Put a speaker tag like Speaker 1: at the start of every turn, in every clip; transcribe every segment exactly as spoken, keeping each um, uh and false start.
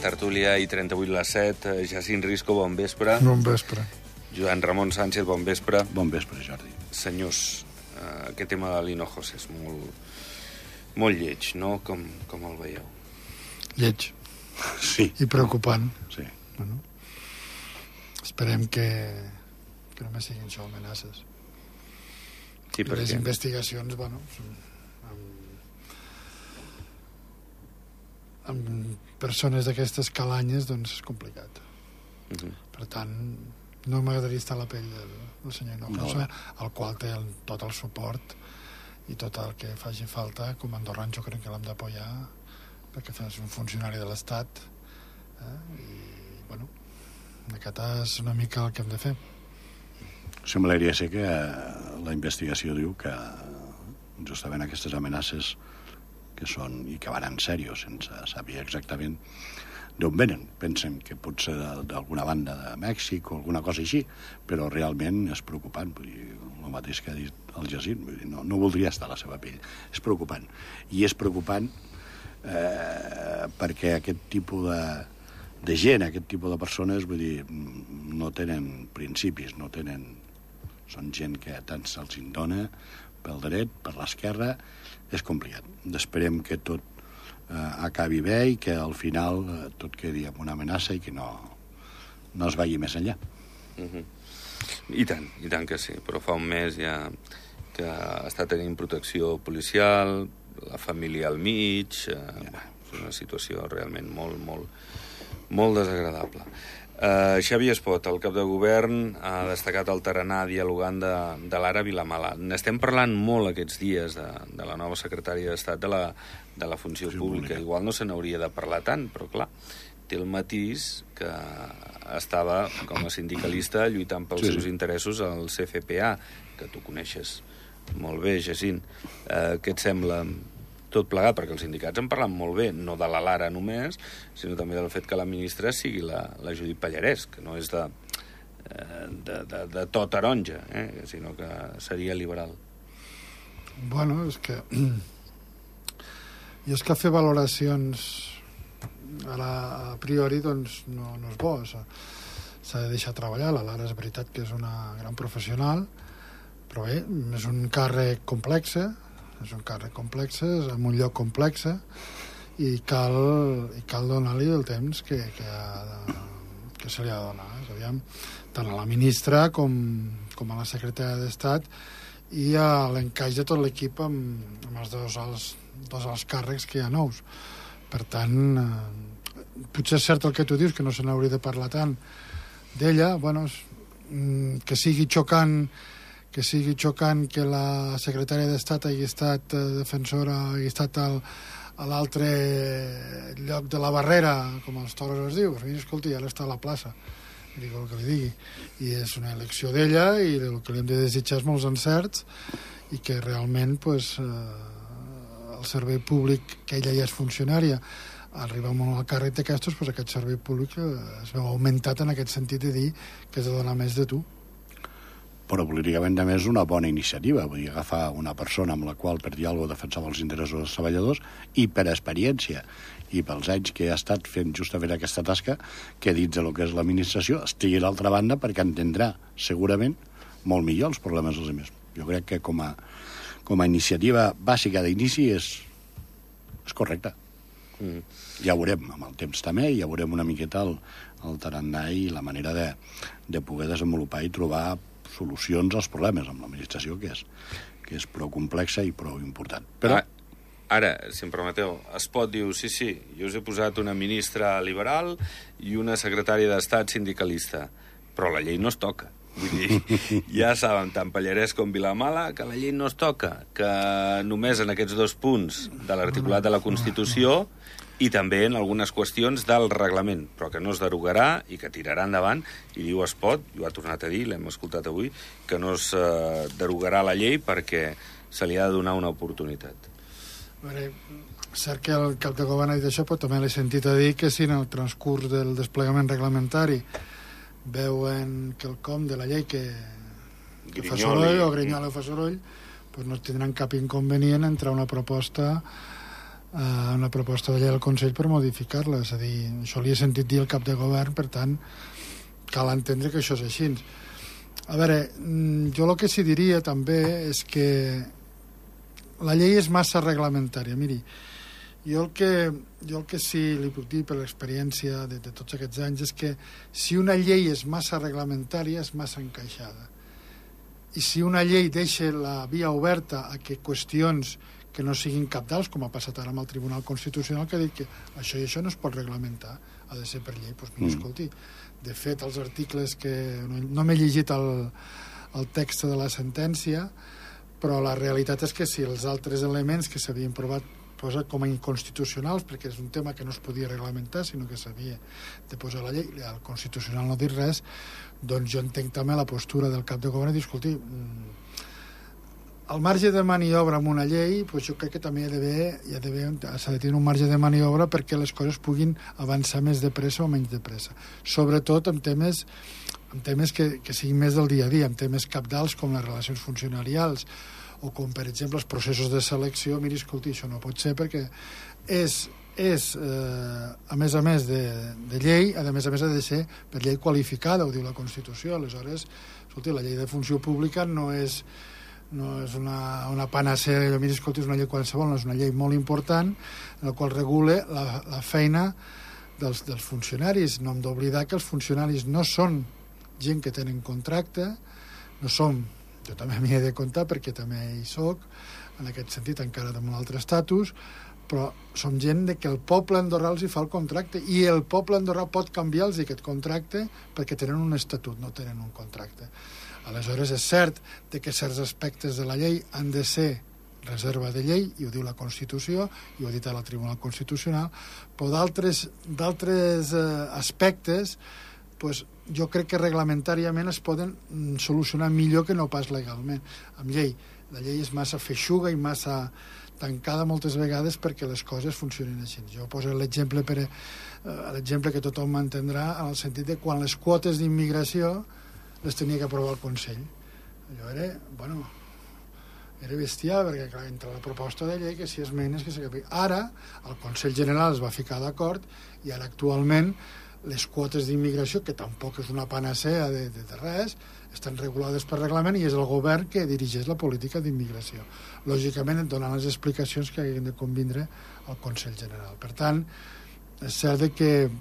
Speaker 1: tertúlia i trenta-vuit les set. Jacint Risco, bon vespre.
Speaker 2: Bon vespre.
Speaker 1: Joan Ramon Sánchez, bon vespre.
Speaker 3: Bon vespre, Jordi.
Speaker 1: Senyors, uh, aquest tema de l'Hinojos és molt, molt lleig, no? Com, com el veieu?
Speaker 2: Lleig.
Speaker 3: Sí.
Speaker 2: I preocupant.
Speaker 3: Sí.
Speaker 2: Bueno, esperem que, que només siguin això amenaces.
Speaker 1: Sí,
Speaker 2: I les investigacions, bueno, amb, amb persones d'aquestes calanyes, doncs és complicat.
Speaker 1: Uh-huh.
Speaker 2: Per tant, no m'agradaria estar a la pell del, del senyor Hinojosa,
Speaker 3: No,
Speaker 2: al qual té el, tot el suport i tot el que faci falta. Com a andorran jo crec que l'hem d'apoyar, perquè és un funcionari de l'Estat, eh? I, bueno, aquest és una mica el que hem de fer.
Speaker 3: Semblaria ser que la investigació diu que justament aquestes amenaces que són i que van en sèrio, sense saber exactament d'on venen. Pensem que pot ser d'alguna banda de Mèxic o alguna cosa així, però realment és preocupant. Vull dir, el mateix que ha dit el Jacint, vull dir, no, no voldria estar a la seva pell. És preocupant. I és preocupant eh, perquè aquest tipus de, de gent, aquest tipus de persones, vull dir, no tenen principis, no tenen... Són gent que tant se'ls dona pel dret, per l'esquerra, és complicat. Esperem que tot eh, acabi bé i que al final eh, tot quedi amb una amenaça i que no, no es vagi més enllà.
Speaker 1: Uh-huh. I tant, i tant que sí, però fa un mes ja que està tenint protecció policial, la família al mig, eh, ja. És una situació realment molt, molt, molt desagradable. Uh, Xavier Espot, el cap de govern, ha destacat el tarannà dialogant de, de l'ara Vilamala. N'estem parlant molt aquests dies de, de la nova secretària d'Estat de la, de la funció sí, pública. pública. Igual no se n'hauria de parlar tant, però clar, té el matís que estava com a sindicalista lluitant pels sí, seus sí. interessos al C F P A, que tu coneixes molt bé, Jacint. Uh, què et sembla tot plegat? Perquè els sindicats en parlen molt bé, no de la Lara només, sinó també del fet que la ministra sigui la, la Judit Pallarès, que no és de, de, de, de tot taronja, eh? Sinó que seria liberal.
Speaker 2: Bueno, és que... I és que fer valoracions a, la, a priori doncs no, no és bo. S'ha de deixar treballar. La Lara és veritat que és una gran professional, però bé, és un càrrec complex, és un càrrec complex, és en un lloc complex, i cal, i cal donar-li el temps que, que, ha de, que se li ha de donar. Aviam, tant a la ministra com, com a la secretària d'Estat i a l'encaix de tot l'equip amb, amb els dos alts, dos alts càrrecs que hi ha nous. Per tant, eh, potser és cert el que tu dius, que no se n'hauria de parlar tant d'ella, bueno, que sigui xocant que sigui xocant que la secretària d'Estat hagi estat eh, defensora, hagi estat al, a l'altre lloc de la barrera, com els toros es diu. Mira, escolta, ja està a la plaça, digui el que li digui. I és una elecció d'ella i el que li hem de desitjar és molts encerts i que realment pues, eh, el servei públic, que ella ja és funcionària, arriba molt al càrrec d'aquestos, pues, aquest servei públic eh, es veu augmentat en aquest sentit de dir que has de donar més de tu.
Speaker 3: Però políticament també és una bona iniciativa, vull dir, agafar una persona amb la qual per dir alguna cosa defensava els interessos dels treballadors i per experiència i pels anys que ha estat fent justament aquesta tasca, que dins del que és l'administració estigui a l'altra banda perquè entendrà segurament molt millor els problemes dels altres. Jo crec que com a, com a iniciativa bàsica d'inici és, és correcta. Mm. Ja veurem amb el temps també, ja veurem una miqueta el, el tarannà i la manera de, de poder desenvolupar i trobar solucions als problemes amb l'administració, que és, que és prou complexa i prou important. Però...
Speaker 1: Ara, si em permeteu, Espot diu, sí, sí, jo us he posat una ministra liberal i una secretària d'Estat sindicalista, però la llei no es toca. Vull dir, ja saben, tant Pallarès com Vilamala, que la llei no es toca, que només en aquests dos punts de l'articulat de la Constitució i també en algunes qüestions del reglament, però que no es derogarà i que tirarà endavant, i diu Espot, i ho ha tornat a dir, l'hem escoltat avui, que no es eh, derogarà la llei perquè se li ha de donar una oportunitat.
Speaker 2: A veure, cert que el cap de govern ha dit això, però també l'he sentit a dir que si en el transcurs del desplegament reglamentari veuen quelcom de la llei que, que fa soroll o Grinyola fa soroll, doncs no tindran cap inconvenient a entrar una proposta una proposta de llei al Consell per modificar-la. És a dir, això li he sentit dir al cap de govern, per tant, cal entendre que això és així. A veure, jo el que sí diria també és que la llei és massa reglamentària. Miri, jo el que, jo el que sí li puc dir per l'experiència de, de tots aquests anys és que si una llei és massa reglamentària és massa encaixada. I si una llei deixa la via oberta a que qüestions que no siguin cabdals, com ha passat ara amb el Tribunal Constitucional, que ha dit que això i això no es pot reglamentar, ha de ser per llei, doncs mira, escolti, de fet, els articles que... No, no m'he llegit el, el text de la sentència, però la realitat és que si els altres elements que s'havien provat posat com a inconstitucionals, perquè és un tema que no es podia reglamentar, sinó que s'havia de posar a la llei, el Constitucional no dir res, doncs jo entenc també la postura del cap de govern i dir, escolti, el marge de maniobra amb una llei, doncs jo crec que també hi ha d'haver, hi ha d'haver, s'ha de tenir un marge de maniobra perquè les coses puguin avançar més de pressa o menys de pressa. Sobretot en temes, en temes que, que siguin més del dia a dia, en temes cabdals com les relacions funcionarials o com, per exemple, els processos de selecció. Miri, escolti, això no pot ser perquè és, és eh, a més a més de, de llei, a més a més ha de ser per llei qualificada, ho diu la Constitució. Aleshores, escolti, la llei de funció pública no és no és una, una panacea, jo miri, escolti, és una llei qualsevol, no és una llei molt important en la qual regula la, la feina dels, dels funcionaris. No hem d'oblidar que els funcionaris no són gent que tenen contracte, no som, jo també m'hi he de comptar perquè també hi soc, en aquest sentit encara amb un altre estatus, però som gent de que el poble andorrà els hi fa el contracte i el poble andorrà pot canviar-los aquest contracte perquè tenen un estatut, no tenen un contracte. Aleshores, és cert que certs aspectes de la llei han de ser reserva de llei, i ho diu la Constitució, i ho ha dit a la Tribunal Constitucional, però d'altres d'altres eh, aspectes pues, jo crec que reglamentàriament es poden solucionar millor que no pas legalment. Amb llei, la llei és massa feixuga i massa tancada moltes vegades perquè les coses funcionin així. Jo poso l'exemple per, eh, l'exemple que tothom m'entendrà en el sentit de quan les quotes d'immigració les tenia que aprovar el Consell. Allò era, bueno, era bestial, perquè clar, entre la proposta de llei que si esmenes que s'acabi. Ara, el Consell General es va ficar d'acord i ara actualment les quotes d'immigració, que tampoc és una panacea de, de, de res, estan regulades per reglament i és el govern que dirigeix la política d'immigració. Lògicament, donant les explicacions que hagin de convindre al Consell General. Per tant, és cert que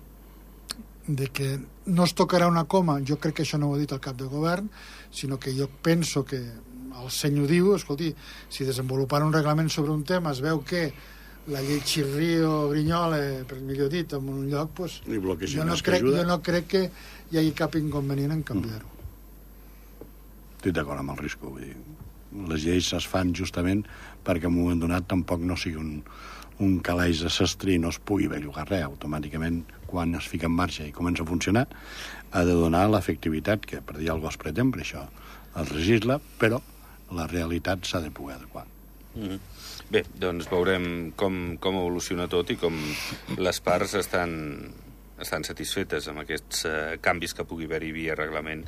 Speaker 2: de que no es tocarà una coma, jo crec que això no ho ha dit el cap de govern, sinó que jo penso que el senyor diu, escolti, si desenvolupant un reglament sobre un tema es veu que la llei xirria o grinyola, per millor dit, en un lloc, doncs, jo, no crec, jo no crec que hi hagi cap inconvenient en canviar-ho.
Speaker 3: Mm. Estic d'acord amb el Risco. Vull dir, les lleis es fan justament perquè en un moment donat tampoc no sigui un, un calaix de sastre i no es pugui bellugar res. Automàticament, quan es fica en marxa i comença a funcionar, ha de donar l'efectivitat, que per dir alguna cosa es pretén, per això es legisla, però la realitat s'ha de poder adequar.
Speaker 1: Mm-hmm. Bé, doncs veurem com, com evoluciona tot i com les parts estan, estan satisfetes amb aquests uh, canvis que pugui haver-hi via reglament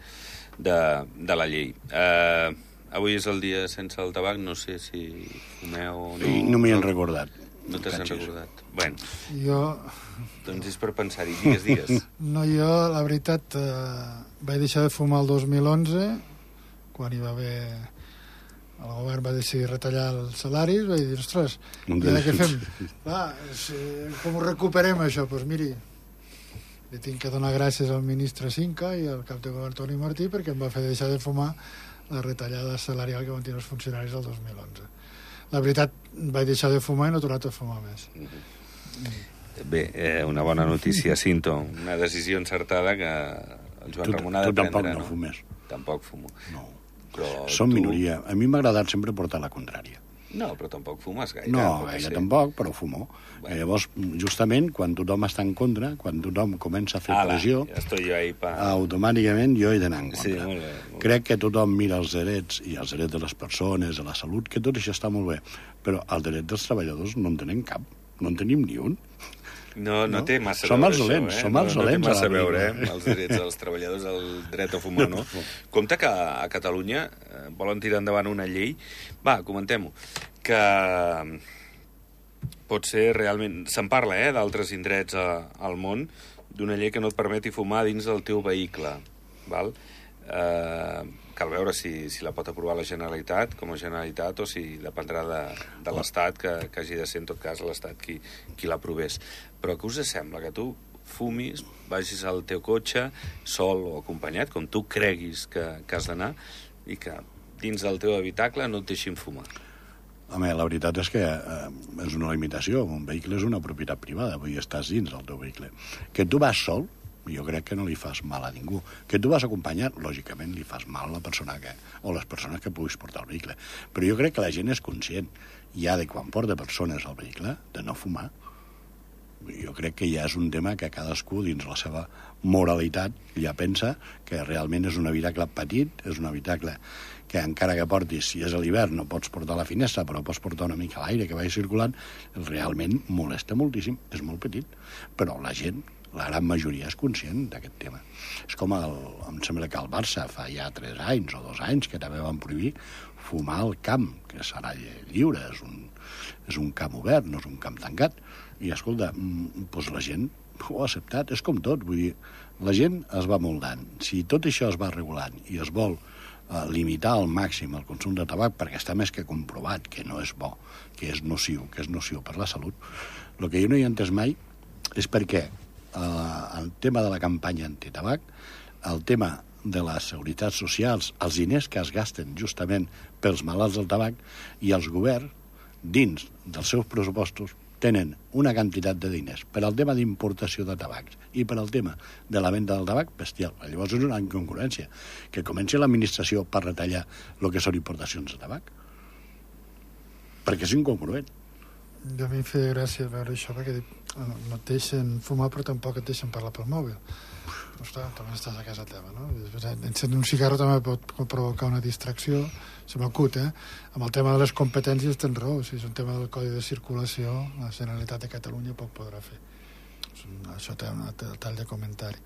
Speaker 1: de, de la llei. Uh, avui és el dia sense el tabac, no sé si fumeu o no.
Speaker 3: I no m'hi han recordat.
Speaker 1: No t'has recordat. Bueno,
Speaker 2: jo...
Speaker 1: doncs és per pensar-hi, digues, digues.
Speaker 2: No, jo, la veritat, eh, vaig deixar de fumar el dos mil onze, quan hi va haver... El govern va decidir retallar els salaris, vaig dir, ostres, i ara què fem? Va, si, com ho recuperem, això? Doncs pues miri, li tinc que donar gràcies al ministre Cinca i al cap de govern Toni Martí perquè em va fer deixar de fumar la retallada salarial que van tenir els funcionaris el dos mil onze. La veritat, vaig deixar de fumar i no he tornat a fumar més.
Speaker 1: Mm-hmm. Bé, eh, una bona notícia, Cinto. Una decisió encertada que el Joan
Speaker 3: tu,
Speaker 1: Ramon ha de
Speaker 3: tu
Speaker 1: prendre,
Speaker 3: tampoc no,
Speaker 1: no
Speaker 3: fumes.
Speaker 1: Tampoc fumo.
Speaker 3: No.
Speaker 1: Però
Speaker 3: Som
Speaker 1: tu...
Speaker 3: minoria. A mi m'ha agradat sempre portar la contrària.
Speaker 1: No, però tampoc fumes gaire.
Speaker 3: No, gaire tampoc, però fumo. Bueno. Llavors, justament, quan tothom està en contra, quan tothom comença a fer
Speaker 1: Ala,
Speaker 3: pressió,
Speaker 1: ja estoy jo ahí pa...
Speaker 3: automàticament jo he d'anar en contra.
Speaker 1: Sí, molt bé, molt bé.
Speaker 3: Crec que tothom mira els drets i els drets de les persones, de la salut, que tot això està molt bé, però el dret dels treballadors no en tenen cap, no en tenim ni un.
Speaker 1: No, no, no té massa
Speaker 3: som
Speaker 1: veure
Speaker 3: els dolents,
Speaker 1: això, eh?
Speaker 3: som els
Speaker 1: no,
Speaker 3: dolents
Speaker 1: no té massa
Speaker 3: a la
Speaker 1: veure,
Speaker 3: vida.
Speaker 1: eh? Els drets dels treballadors, el dret a fumar, no? Compte que a Catalunya eh, volen tirar endavant una llei, va, comentem-ho, que pot ser realment... Se'n parla, eh, d'altres indrets a, al món, d'una llei que no et permeti fumar dins del teu vehicle, val? Eh, cal veure si, si la pot aprovar la Generalitat com a Generalitat o si dependrà de, de l'Estat, que, que hagi de ser en tot cas l'Estat qui, qui l'aprovés. Però què us sembla? Que tu fumis, vagis al teu cotxe sol o acompanyat, com tu creguis que, que has d'anar, i que dins del teu habitacle no et deixin fumar?
Speaker 3: Home, la veritat és que eh, és una limitació. Un vehicle és una propietat privada, vull dir, estàs dins del teu vehicle. Que tu vas sol, jo crec que no li fas mal a ningú. Que tu vas acompanyat, lògicament li fas mal a la persona que, o les persones que puguis portar el vehicle. Però jo crec que la gent és conscient ja de quan porta persones al vehicle de no fumar. Jo crec que ja és un tema que cadascú, dins la seva moralitat, ja pensa que realment és un habitacle petit, és un habitacle que encara que portis, si és a l'hivern, no pots portar a la finestra, però pots portar una mica a l'aire que vagi circulant, realment molesta moltíssim, és molt petit. Però la gent, la gran majoria, és conscient d'aquest tema. És com, el, em sembla que el Barça fa ja tres anys o dos anys que també van prohibir fumar al camp, que serà lliure, és un, és un camp obert, no és un camp tancat. I, escolta, doncs la gent ho ha acceptat, és com tot, vull dir, la gent es va moldant. Si tot això es va regulant i es vol eh, limitar al màxim el consum de tabac, perquè està més que comprovat que no és bo, que és nociu, que és nociu per la salut, el que jo no hi he entès mai és perquè eh, el tema de la campanya antitabac, el tema de les seguretats socials, els diners que es gasten justament pels malalts del tabac, i els governs, dins dels seus pressupostos, tenen una quantitat de diners per al tema d'importació de tabacs i per al tema de la venda del tabac bestial. Llavors és una incongruència que comenci l'administració per retallar el que són importacions de tabac, perquè és incongruent.
Speaker 2: A mi em feia gràcia veure això, perquè no et deixen fumar però tampoc et deixen parlar pel mòbil. Ostres, també estàs a casa teva, no? Encendre un cigarro també pot provocar una distracció, se m'acut, eh? Amb el tema de les competències tens raó, si és un tema del Codi de Circulació, la Generalitat de Catalunya poc podrà fer. Això té un tall de comentari.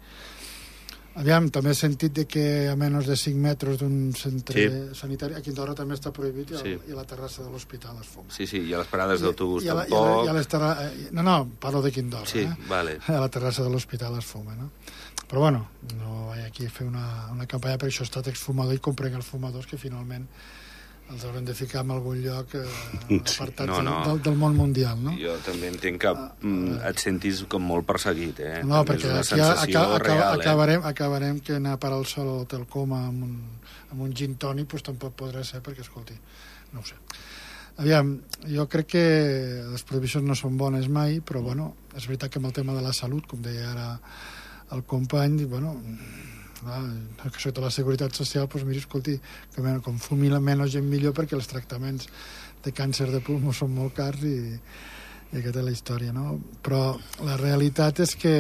Speaker 2: Aviam, també he sentit de que a menys de cinc metres d'un centre sí. sanitari, aquí a Andorra també està prohibit, i, el, sí. i a la terrassa de l'hospital es fuma.
Speaker 1: Sí, sí, i a les parades d'autobús
Speaker 2: I,
Speaker 1: tampoc.
Speaker 2: I a, i a les terra... No, no, parlo d'aquí a Andorra,
Speaker 1: sí,
Speaker 2: eh?
Speaker 1: Vale.
Speaker 2: A la terrassa de l'hospital es fuma, no? Però bueno, no vaig aquí a fer una, una campanya per això, he estat exfumador i comprenc els fumadors que finalment els haurem de ficar en algun lloc eh, apartats no, no. Del, del món mundial, no? Jo
Speaker 1: també entenc que mm, et sentis com molt perseguit, eh?
Speaker 2: No,
Speaker 1: també
Speaker 2: perquè aquí aca aca acabarem, acabarem que anar a parar el sol a l'Hotel Coma amb un, amb un gin tònic, doncs tampoc podrà ser, perquè, escolti, no ho sé. Aviam, jo crec que les prohibicions no són bones mai, però, bueno, és veritat que amb el tema de la salut, com deia ara el company, bueno, clar, que sota la seguretat social, doncs miri, escolti, que com fumi la menys gent millor, perquè els tractaments de càncer de pulmó són molt cars i, i aquesta és la història, no? Però la realitat és que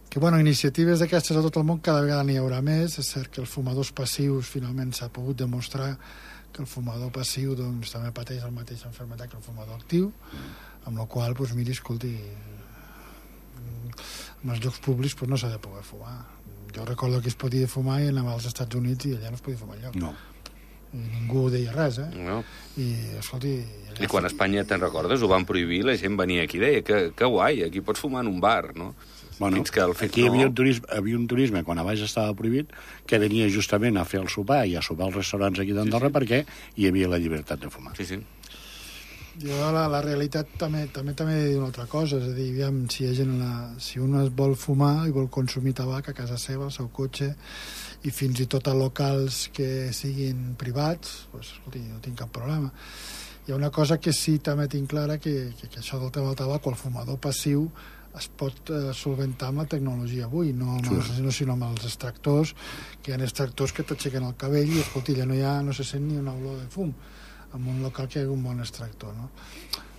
Speaker 2: que, bueno, iniciatives d'aquestes a tot el món cada vegada n'hi haurà més. És cert que els fumadors passius finalment s'ha pogut demostrar que el fumador passiu doncs, també pateix la mateixa malaltia que el fumador actiu, amb la qual cosa, doncs, miri, escolti, en els llocs públics doncs, no s'ha de poder fumar. Jo recordo que es podia fumar i anava als Estats Units i allà no es podia fumar enlloc.
Speaker 3: No.
Speaker 2: I ningú deia res, eh?
Speaker 1: No.
Speaker 2: I, escolti...
Speaker 1: I quan a Espanya, te'n recordes, ho van prohibir, la gent venia aquí i deia que, que guai, aquí pots fumar en un bar, no?
Speaker 3: Bueno,
Speaker 1: fins que el fet
Speaker 3: aquí hi
Speaker 1: no...
Speaker 3: havia un, turisme, havia un turisme, quan abans estava prohibit, que venia justament a fer el sopar i a sopar als restaurants aquí d'Andorra, sí, sí, perquè hi havia la llibertat de fumar.
Speaker 1: Sí, sí.
Speaker 2: Jo la, la realitat també també també he de dir una altra cosa, és a dir, aviam, si, hi ha gent la, si un es vol fumar i vol consumir tabac a casa seva, al seu cotxe, i fins i tot a locals que siguin privats, doncs, escolti, no tinc cap problema. Hi ha una cosa que sí també tinc clara, que, que, que això del tema del tabac, o el fumador passiu, es pot eh, solventar amb la tecnologia avui, no, amb els, no sinó amb els extractors, que hi ha extractors que t'aixequen el cabell i, escolti, ja no, hi ha, no se sent ni una olor de fum en un local que hi ha un bon extractor, no?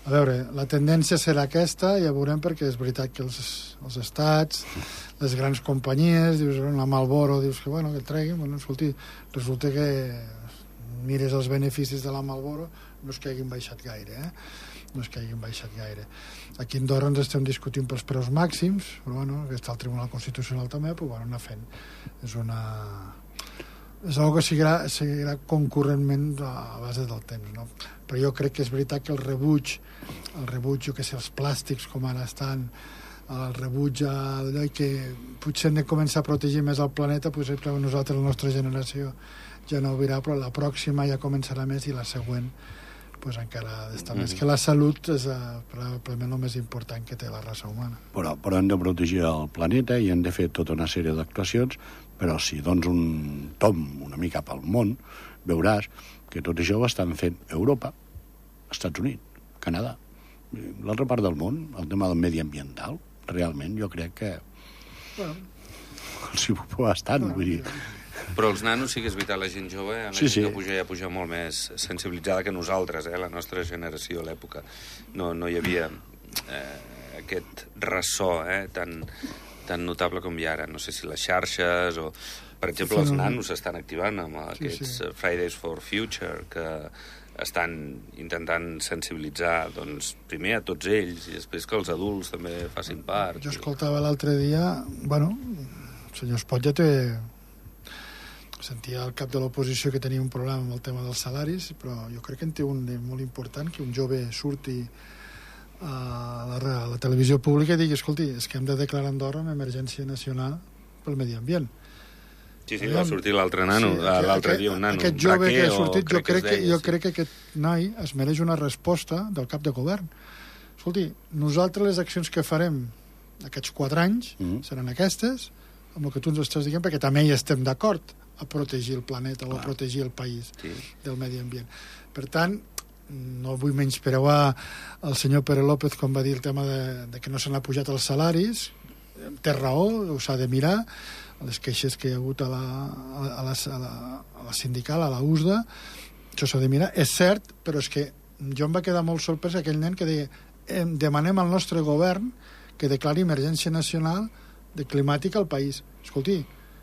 Speaker 2: A veure, la tendència serà aquesta, ja veurem, perquè és veritat que els, els estats, les grans companyies, dius, la Marlboro, dius que, bueno, que treguin, bueno, escolti, resulta que mires els beneficis de la Marlboro, no és que hagin baixat gaire, eh? No és que hagin baixat gaire. Aquí a Andorra ens estem discutint pels preus màxims, però, bueno, que està el Tribunal Constitucional també, però, bueno, anar fent. És una... és una que seguirà, seguirà concurrentment a base del temps, no? Però jo crec que és veritat que el rebuig, el rebuig, jo que sé, els plàstics com ara estan, el rebuig a allò que potser hem de començar a protegir més el planeta, potser per nosaltres, la nostra generació, ja no ho veurà, però la pròxima ja començarà més i la següent pues encara d'estar mm-hmm. més, que la salut és uh, probablement el més important que té la raça humana.
Speaker 3: Però, però hem de protegir el planeta i hem de fer tota una sèrie d'actuacions, però si dones un tom una mica pel món, veuràs que tot això ho estan fent Europa, Estats Units, Canadà, l'altra part del món, el tema del mediambiental, realment jo crec que
Speaker 2: bueno,
Speaker 3: els hi ho estan, bueno, vull dir...
Speaker 1: Però els nanos sí que és veritat, la gent jove, la
Speaker 3: sí,
Speaker 1: gent
Speaker 3: sí.
Speaker 1: que puja ja puja molt més sensibilitzada que nosaltres, eh, la nostra generació a l'època. No, no hi havia eh, aquest ressò eh, tan, tan notable com hi ha ara. No sé si les xarxes o... Per exemple, els nanos s'estan activant amb aquests sí, sí. Fridays for Future, que estan intentant sensibilitzar, doncs, primer a tots ells i després que els adults també facin part.
Speaker 2: Jo escoltava l'altre dia, bueno, el senyor Espot ja té... sentia al cap de l'oposició que tenia un problema amb el tema dels salaris, però jo crec que en té un de molt important, que un jove surti a la, a la televisió pública i digui, escolti, és que hem de declarar Andorra una emergència nacional pel medi ambient.
Speaker 1: Sí, sí, va sortir l'altre nano, sí, l'altre dia un nano.
Speaker 2: Aquest jove que ha sortit, jo crec que, jo crec que aquest noi es mereix una resposta del cap de govern. Escolti, nosaltres les accions que farem aquests quatre anys mm. seran aquestes, amb el que tu ens estàs dient, perquè també hi estem d'acord a protegir el planeta o a protegir el país sí. del medi ambient. Per tant, no vull menysprear el senyor Pere López quan va dir el tema de, de que no s'han pujat els salaris. Té raó, ho s'ha de mirar. Les queixes que hi ha hagut a la, a la, a la, a la sindical, a la U S D A, això s'ha de mirar. És cert, però és que jo em va quedar molt sorprès aquell nen que deia eh, demanem al nostre govern que declari emergència nacional de climàtica al país. Escolti,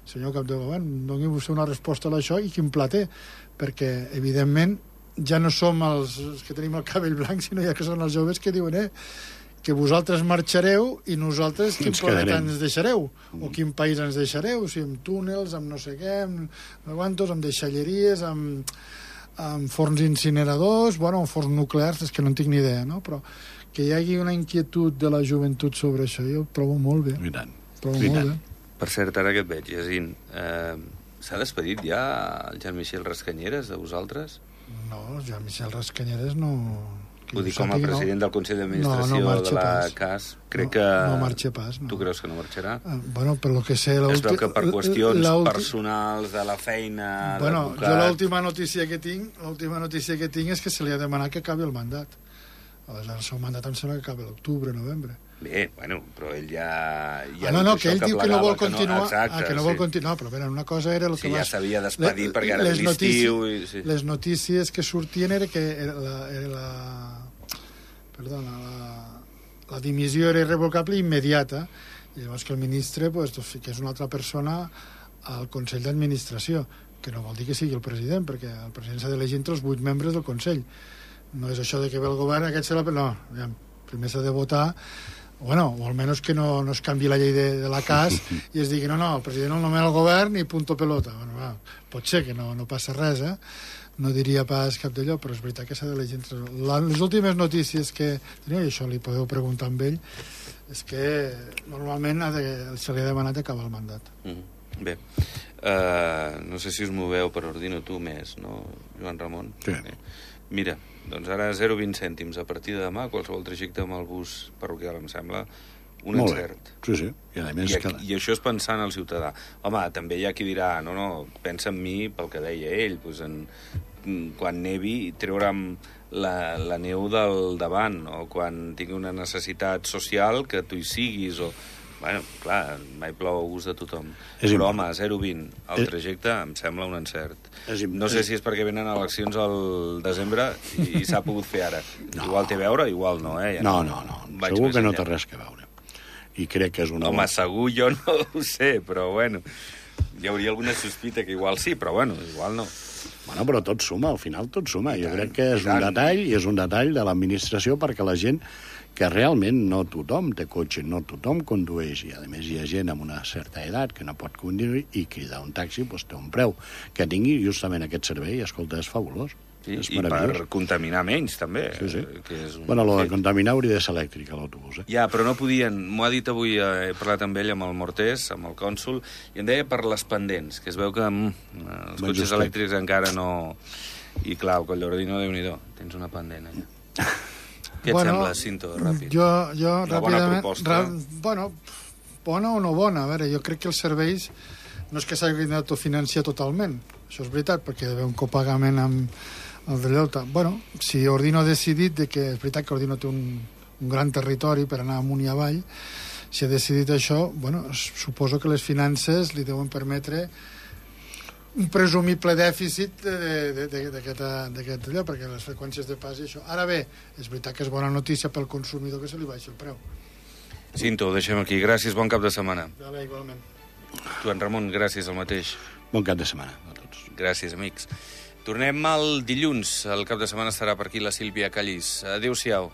Speaker 2: senyor cap de govern, doni vostè una resposta a això i quin pla té, perquè evidentment ja no som els, els que tenim el cabell blanc, sinó ja que són els joves que diuen eh, que vosaltres marxareu i nosaltres quin planeta ens deixareu o quin país ens deixareu, si amb túnels, amb no sé què, amb guantos, amb deixalleries, amb, amb forns incineradors, bueno, amb forns nuclears, és que no en tinc ni idea, no? Però que hi hagi una inquietud de la joventut sobre això, jo ho trobo molt bé.
Speaker 3: I tant.
Speaker 2: Trobo I molt tant. bé.
Speaker 1: Per cert, ara que et veig, Jacint, eh, s'ha despedit ja el Jean-Michel Rascanyeres de vosaltres?
Speaker 2: No, el Jean-Michel Rascanyeres no...
Speaker 1: Vull dir, com a president no... del Consell d'Administració no, no de la pas. C A S, crec
Speaker 2: no,
Speaker 1: que...
Speaker 2: No marxa pas, no.
Speaker 1: Tu creus que no marxarà?
Speaker 2: Uh, bueno, per lo que sé...
Speaker 1: Es veu que per qüestions personals de la feina...
Speaker 2: Bueno, jo l'última notícia que tinc l'última notícia que tinc és que se li ha demanat que acabi el mandat. Aleshores, el seu mandat em sembla que acaba l'octubre, novembre.
Speaker 1: Bé, bueno, però ell ja... ja
Speaker 2: ah, no, no, que ell que diu que no vol continuar...
Speaker 1: Que no, exacte,
Speaker 2: ah, que no
Speaker 1: sí.
Speaker 2: vol continuar, però bé, una cosa era... El
Speaker 1: sí,
Speaker 2: que
Speaker 1: ja
Speaker 2: vas...
Speaker 1: s'havia despedir perquè ara
Speaker 2: les
Speaker 1: l'estiu... I... Sí.
Speaker 2: Les notícies que sortien era que era la... Era la perdona, la, la dimissió era irrevocable i immediata, i llavors que el ministre pues, que és una altra persona al Consell d'Administració, que no vol dir que sigui el president, perquè el president s'ha d'elegir entre els vuit membres del Consell. No és això de que ve el govern, aquest serà... No, aviam, primer s'ha de votar, bueno, o almenys que no, no es canvi la llei de, de la C A S i es digui, no, no, el president el nomena el govern i punto pelota. Bueno, va, pot ser que no, no passa res, eh? No diria pas cap d'allò, però és veritat que s'ha d'elegir entre... La, les últimes notícies que teniu, i això li podeu preguntar amb ell, és que normalment ha de, se li ha demanat acabar el mandat.
Speaker 1: Mm, bé, uh, no sé si us moveu per Ordino tu més, no, Joan Ramon?
Speaker 3: Sí.
Speaker 1: Bé. Mira, doncs ara zero coma vint cèntims a partir de demà, qualsevol trajecte amb el bus parroquial, em sembla un
Speaker 3: Molt
Speaker 1: encert.
Speaker 3: Bé. Sí, sí. I, a més
Speaker 1: I,
Speaker 3: que...
Speaker 1: I això és pensant al ciutadà. Home, també hi ha qui dirà, no, no, pensa en mi pel que deia ell, doncs en, quan nevi treure'm la, la neu del davant, o quan tingui una necessitat social que tu hi siguis, o... Bueno, clar, mai plou a gust de tothom.
Speaker 3: És
Speaker 1: Però,
Speaker 3: important.
Speaker 1: home, zero coma vint el
Speaker 3: És...
Speaker 1: trajecte em sembla un encert.
Speaker 3: És...
Speaker 1: No sé si és perquè venen eleccions al desembre i, i s'ha pogut fer ara. No. Igual té a veure, igual no, eh? Ja
Speaker 3: no, no, no. no. Segur que no té res que veure. I crec que és una...
Speaker 1: Home, segur jo no ho sé, però bueno, hi hauria alguna sospita que igual sí, però bueno, igual no.
Speaker 3: Bueno, però tot suma, al final tot suma.
Speaker 1: I
Speaker 3: jo
Speaker 1: tant,
Speaker 3: crec que és
Speaker 1: i
Speaker 3: un
Speaker 1: tant.
Speaker 3: detall, i és un detall de l'administració perquè la gent, que realment no tothom té cotxe, no tothom condueix, i a més hi ha gent amb una certa edat que no pot conduir i cridar un taxi doncs, té un preu. Que tingui justament aquest servei, escolta, és fabulós.
Speaker 1: Sí,
Speaker 3: és
Speaker 1: i per contaminar menys, també.
Speaker 3: Sí, sí.
Speaker 1: Que és un
Speaker 3: Bueno, lo de
Speaker 1: fet.
Speaker 3: contaminar hauria de ser elèctric, a l'autobús, eh?
Speaker 1: Ja, però no podien... M'ho ha dit avui, eh, he parlat amb ell, amb el Mortés, amb el cònsol, i em deia per les pendents, que es veu que mm, els
Speaker 3: Ben
Speaker 1: cotxes
Speaker 3: justet.
Speaker 1: elèctrics encara no... I clar, el Collordino, Déu-n'hi-do, tens una pendent allà. Què et sembla, Cinto, ràpid?
Speaker 2: Jo, jo
Speaker 1: Una bona
Speaker 2: ràpidament...
Speaker 1: proposta.
Speaker 2: Bueno, bona o no bona, a veure, jo crec que els serveis no és que s'hagin d'autofinanciar totalment, això és veritat, perquè hi ha d'haver un copagament amb el de Delta. Bueno, si Ordino ha decidit de que és veritat que Ordino té un, un gran territori per anar amunt i avall, si ha decidit això, bueno, suposo que les finances li deuen permetre un presumible dèficit d'aquest allò, perquè les freqüències de pas i això. Ara bé, és veritat que és bona notícia pel consumidor que se li baixa el preu.
Speaker 1: Cinto, ho deixem aquí. Gràcies, bon cap de setmana.
Speaker 2: Vale, igualment.
Speaker 1: Joan Ramon, gràcies, el mateix.
Speaker 3: Bon cap de setmana a tots.
Speaker 1: Gràcies, amics. Tornem el dilluns. El cap de setmana estarà per aquí la Sílvia Callís. Adéu-siau.